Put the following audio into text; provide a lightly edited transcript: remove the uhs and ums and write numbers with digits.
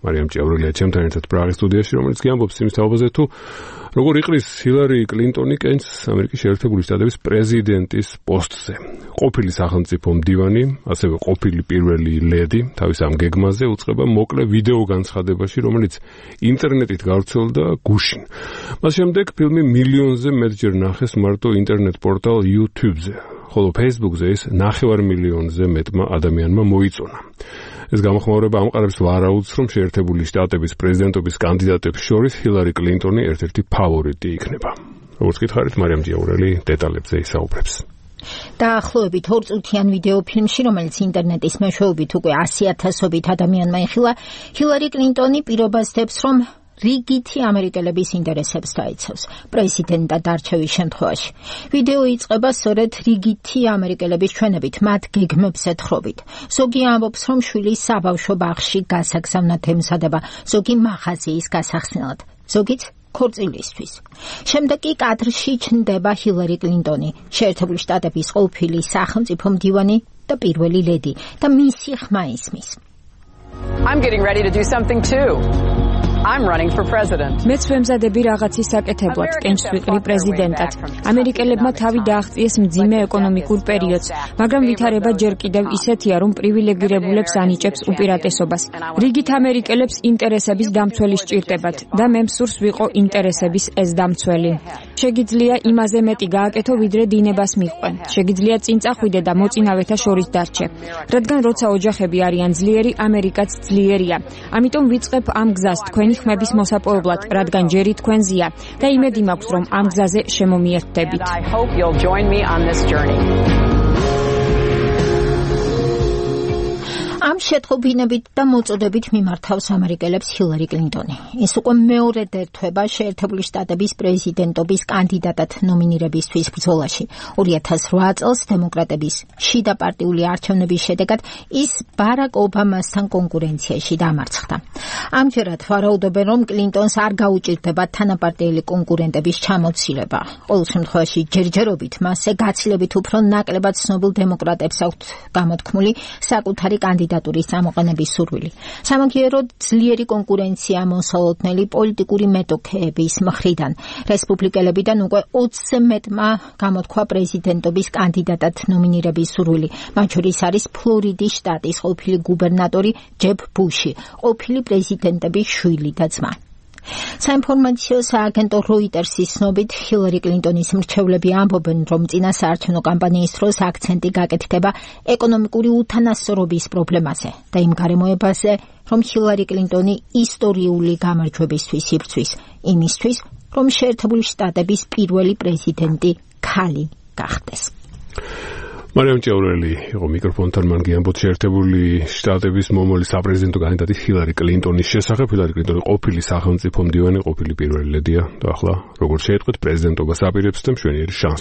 მარიამ ჭიაურელია ჩემთან ერთად პრაღის სტუდიაში, რომელიც გიამბობს იმის თაობაზე თუ როგორ იყრის ჰილარი კლინტონი კენჭს ამერიკის შეერთებული შტატების პრეზიდენტის პოსტზე. ყოფილი სახელმწიფო მდივანი, ასევე ყოფილი პირველი ლედი თავის ამ გეგმაზე უწყება მოკლე ვიდეო განცხადებაში, რომელიც ინტერნეტით გავრცელდა გუშინ. მას შემდეგ ფილმი მილიონზე მეტჯერ ნახეს მარტო ინტერნეტ პორტალ YouTube-ზე, ხოლო Facebook-ზე ის 9 მილიონზე მეტმა ადამიანმა მოიწონა. ეს გამოხმაურება ამყარებს ვარაუდს, რომ შეერთებული შტატების პრეზიდენტობის კანდიდატებს შორის ჰილარი კლინტონი ერთ-ერთი ფავორიტი იქნება. როგორც გითხარით, მარიამ ჭიაურელი დეტალებზე ისაუბრებს. დაახლოებით 2 წუთიან ვიდეო ფილმში, რომელიც ინტერნეტის მეშვეობით უკვე 100,000-ობით ადამიანმა იხილა, ჰილარი კლინტონი პირობას დებს, რომ რიგითი ამერიკელების ინტერესებს დაიცავს პრეზიდენტად არჩევის შემთხვევაში. ვიდეო იწყება სწორედ რიგითი ამერიკელების ჩვენებით, მათ გეგმებს ეთხრობით. ზოგი ამბობს, რომ შვილი საბავშვო ბაღში გასაგზავნად ემზადება, ზოგი მაღაზიის გასახსნელად, ზოგიც ქორწილისთვის. შემდეგ კი კადრში ჩნდება ჰილარი კლინტონი, შეერთებული შტატების ყოფილი სახელმწიფო მდივანი და პირველი ლედი და მისი ხმა ისმის. I'm getting ready to do something too. I'm running for president. მეც ვემზადები რაღაცის საკეთებლად, კენჭს ვიყრი პრეზიდენტად. ამერიკელებმა თავი დააღწიეს მძიმე ეკონომიკურ პერიოდს, მაგრამ ვითარება ჯერ კიდევ ისეთია, რომ პრივილეგირებულებს ანიჭებს უპირატესობას. რიგით ამერიკელებს ინტერესების დამცველი სჭირდებათ და მე მსურს ვიყო ინტერესების ეს დამცველი. შეგიძლია იმაზე მეტი გააკეთო, ვიდრე დინებას მიყვენ. შეგიძლია წინ წახვიდე და მოწინავეთა შორის დარჩე. რადგან როცა ოჯახები არიან ძლიერი, ამერიკაც ძლიერია. ამიტომ ვიწყებ ამ გზას თქვენ ხმების მოსაპოვებლად, რადგან ჯერი თქვენზია და იმედი მაქვს, რომ ამ გზაზე შემომიერთდებით. ამ შეტყობინებით და მოწოდებით მიმართავს ამერიკელებს ჰილარი კლინტონი. ის უკვე მეორედ ერთვება შეერთებული შტატების პრეზიდენტობის კანდიდატად ნომინირებისთვის ბრძოლაში. 2008 წელს დემოკრატების შიდა პარტიული არჩევნების შედეგად ის ბარაკ ობამასთან კონკურენციაში დამარცხდა. ამჯერად ვარაუდობენ, რომ კლინტონს არ გაუჭირდება თანაპარტიელი კონკურენტების ჩამოცილება. ყოველ შემთხვევაში ჯერჯერობით მასზე გაცილებით უფრო ნაკლებად ცნობილ დემოკრატებს აქვთ გამოთქმული საკუთარი კანდიდატურის წამოყენების სურვილი. სამაგიეროდ ძლიერი კონკურენცია მოსალოდნელი პოლიტიკური მეტოქეების მხრიდან. რესპუბლიკელებიდან უკვე 20-ზე მეტმა გამოთქვა პრეზიდენტობის კანდიდატად ნომინირების სურვილი. მათ შორის არის ფლორიდის შტატის ყოფილი გუბერნატორი ჯებ ბუში, ყოფილი პრეზიდენტების შვილი და ძმა. საინფორმაციო სააგენტო როიტერსის ცნობით, ჰილარი კლინტონის მრჩევლები ამბობენ, რომ წინა საარჩევნო კამპანიის დროს აქცენტი გაკეთდება ეკონომიკური უთანასწორობის პრობლემაზე და იმ გარემოებაზე, რომ ჰილარი კლინტონი ისტორიული გამარჯვებისთვის იბრძვის, იმისთვის, რომ შეერთებული შტატების პირველი პრეზიდენტი ქალი გახდეს. მარიამ ჭიაურელი იყო მიკროფონთან, მან გიამბოთ შეერთებული შტატების მომავალი საპრეზიდენტო კანდიდატი ჰილარი კლინტონის შესახებ. ჰილარი კლინტონი ყოფილი სახელმწიფო მდივანი, ყოფილი პირველი ლედია და ახლა როგორც შეიტყვით პრეზიდენტობას აპირებს და მშვენიერი შანსი